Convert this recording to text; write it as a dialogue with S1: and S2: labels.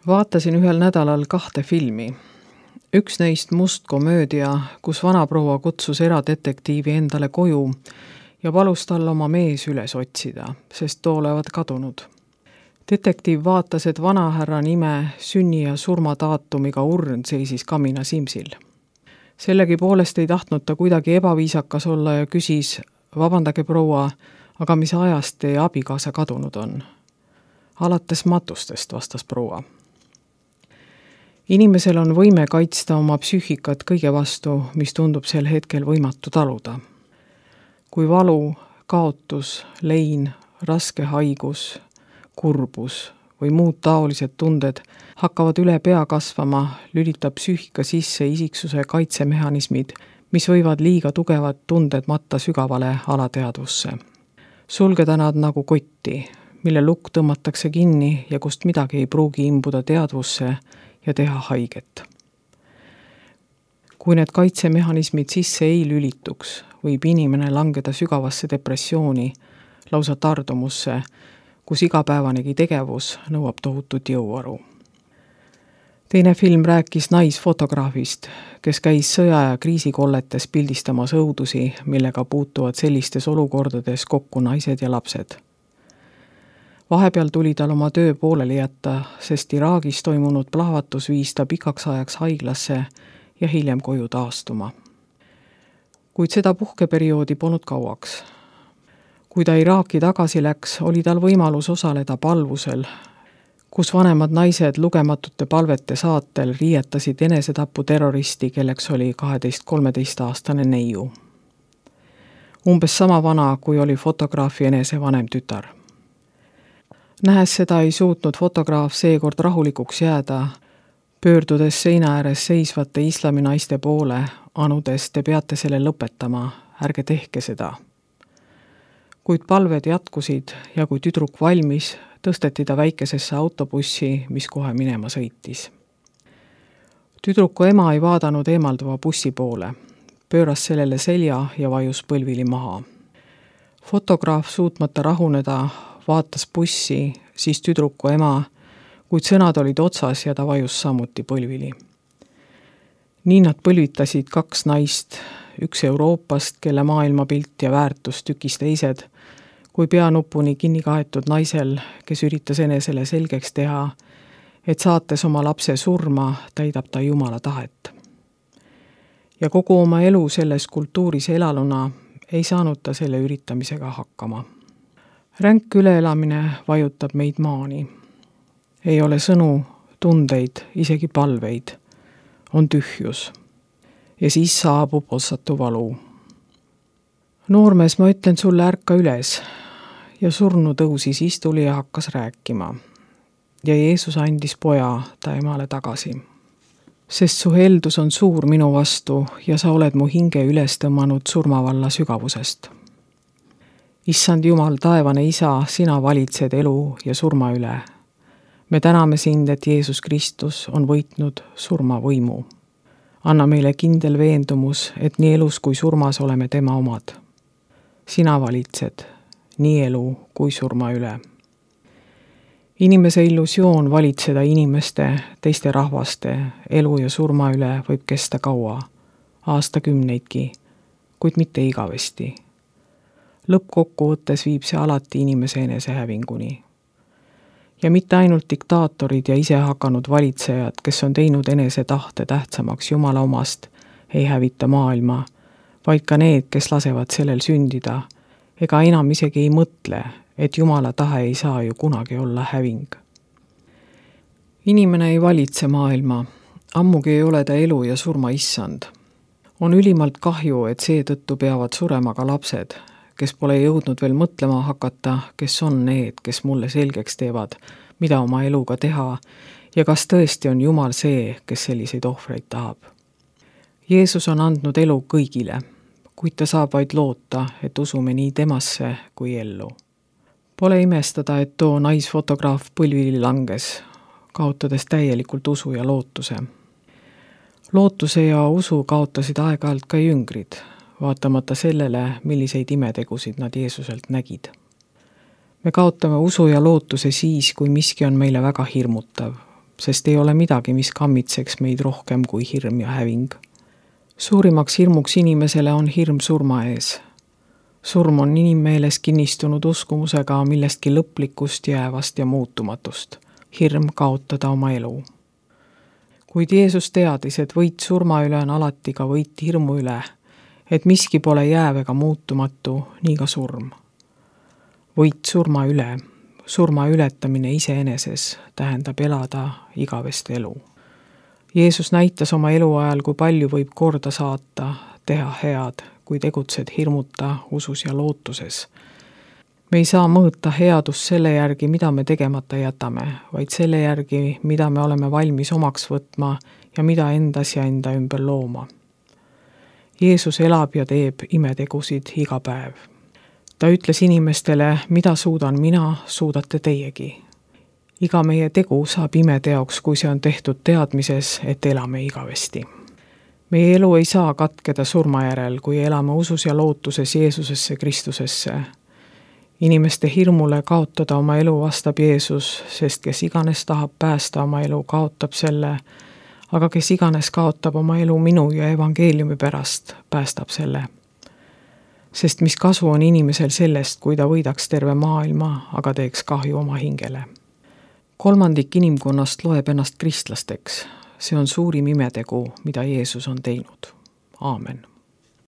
S1: Vaatasin ühel nädalal 2 filmi. Üks neist must komöödia, kus vanaproua kutsus eradetektiivi endale koju ja palus tal oma mees üles otsida, sest too olevat kadunud. Detektiiv vaatas, et vanahärra nime, sünni- ja surmadaatumiga urn seisis kamina simsil. Sellegipoolest ei tahtnud ta kuidagi ebaviisakas olla ja küsis, vabandage proua, aga mis ajast teie abikaasa kadunud on? Alates matustest, vastas proua. Inimesel on võime kaitsta oma psüühikat kõige vastu, mis tundub sel hetkel võimatu taluda. Kui valu, kaotus, lein, raske haigus, kurbus või muud taolised tunded hakkavad üle pea kasvama, lülitab psüühika sisse isiksuse kaitsemehhanismid, mis võivad liiga tugevad tunded matta sügavale alateadvusse. Sulgeda nad nagu kotti, mille lukk tõmmatakse kinni ja kust midagi ei pruugi imbuda teadvusse ja teha haiget. Kui need kaitsemehhanismid sisse ei lülituks, võib inimene langeda sügavasse depressiooni, lausa tardumusse, kus igapäevanegi tegevus nõuab tohutut jõuaru. Teine film rääkis naisfotograafist, kes käis sõja- ja kriisikolletes pildistamas õudusi, millega puutuvad sellistes olukordades kokku naised ja lapsed. Vahepeal tuli tal oma töö pooleli jätta, sest Iraagis toimunud plahvatus viis ta pikaks ajaks haiglasse ja hiljem koju taastuma. Kuid seda puhkeperioodi polnud kauaks. Kui ta Iraaki tagasi läks, oli tal võimalus osaleda palvusel, kus vanemad naised lugematute palvete saatel riietasid enesetapu terroristi, kelleks oli 12-13-aastane neiu. Umbes sama vana, kui oli fotograafi enese vanem tütar. Nähes seda ei suutnud fotograaf seekord rahulikuks jääda, pöördudes seina ääres seisvate islaminaiste poole, anudes, te peate selle lõpetama, ärge tehke seda. Kuid palved jätkusid ja kui tüdruk valmis, tõsteti ta väikesesse autobussi, mis kohe minema sõitis. Tüdruku ema ei vaadanud eemalduva bussi poole, pööras sellele selja ja vajus põlvili maha. Fotograaf suutmata rahuneda, vaatas bussi, siis tüdruku ema, kuid sõnad olid otsas ja ta vajus samuti põlvili. Nii nad põlvitasid 2 naist, üks Euroopast, kelle maailmapilt ja väärtus tükis teised, kui peanupuni kinni kaetud naisel, kes üritas enesele selgeks teha, et saates oma lapse surma, täidab ta Jumala tahet. Ja kogu oma elu selles kultuuris elaluna ei saanud ta selle üritamisega hakkama. Ränk üleelamine vajutab meid maani. Ei ole sõnu, tundeid, isegi palveid. On tühjus. Ja siis saabub otsatu valu. Noormees, ma ütlen sulle, ärka üles. Ja surnu tõusis istuli ja hakkas rääkima. Ja Jeesus andis poja ta emale tagasi. Sest su heldus on suur minu vastu ja sa oled mu hinge üles tõmmanud surmavalla sügavusest. Issand Jumal, taevane Isa, sina valitsed elu ja surma üle. Me täname sind, et Jeesus Kristus on võitnud surma võimu. Anna meile kindel veendumus, et nii elus kui surmas oleme tema omad. Sina valitsed nii elu kui surma üle. Inimese illusioon valitseda inimeste, teiste rahvaste, elu ja surma üle võib kesta kaua, aastakümneidki, kuid mitte igavesti. Lõppkokkuvõttes viib see alati inimese enesehävinguni. Ja mitte ainult diktaatorid ja ise hakanud valitsejad, kes on teinud enese tahte tähtsamaks Jumala omast, ei hävita maailma, vaid ka need, kes lasevad sellel sündida, ega enam isegi ei mõtle, et Jumala tahe ei saa ju kunagi olla häving. Inimene ei valitse maailma, ammugi ei ole ta elu ja surma issand. On ülimalt kahju, et seetõttu peavad surema ka lapsed, kes pole jõudnud veel mõtlema hakata, kes on need, kes mulle selgeks teevad, mida oma eluga teha ja kas tõesti on Jumal see, kes selliseid ohvreid tahab. Jeesus on andnud elu kõigile, kuid ta saab vaid loota, et usume nii temasse kui ellu. Pole imestada, et too naisfotograaf põlvili langes, kaotades täielikult usu ja lootuse. Lootuse ja usu kaotasid aeg-ajalt ka jüngrid, vaatamata sellele, milliseid imetegusid nad Jeesuselt nägid. Me kaotame usu ja lootuse siis, kui miski on meile väga hirmutav, sest ei ole midagi, mis kammitseks meid rohkem kui hirm ja häving. Suurimaks hirmuks inimesele on hirm surma ees. Surm on inimmeeles kinnistunud uskumusega millestki lõplikust, jäävast ja muutumatust. Hirm kaotada oma elu. Kuid Jeesus teadis, et võit surma üle on alati ka võit hirmu üle, et miski pole jääv ega muutumatu, nii ka surm. Võit surma ületamine iseeneses tähendab elada igavest elu. Jeesus näitas oma eluajal, kui palju võib korda saata, teha head, kui tegutsed hirmuta, usus ja lootuses. Me ei saa mõõta headust selle järgi, mida me tegemata jätame, vaid selle järgi, mida me oleme valmis omaks võtma ja mida endas ja enda ümber looma. Jeesus elab ja teeb imetegusid iga päev. Ta ütles inimestele, mida suudan mina, suudate teiegi. Iga meie tegu saab imeteoks, kui see on tehtud teadmises, et elame igavesti. Meie elu ei saa katkeda surma järel, kui elame usus ja lootuses Jeesusesse Kristusesse. Inimeste hirmule kaotada oma elu vastab Jeesus, sest kes iganes tahab päästa oma elu, kaotab selle, aga kes iganes kaotab oma elu minu ja evangeeliumi pärast, päästab selle. Sest mis kasu on inimesel sellest, kui ta võidaks terve maailma, aga teeks kahju oma hingele. 1/3 inimkonnast loeb ennast kristlasteks. See on suurim imetegu, mida Jeesus on teinud. Aamen.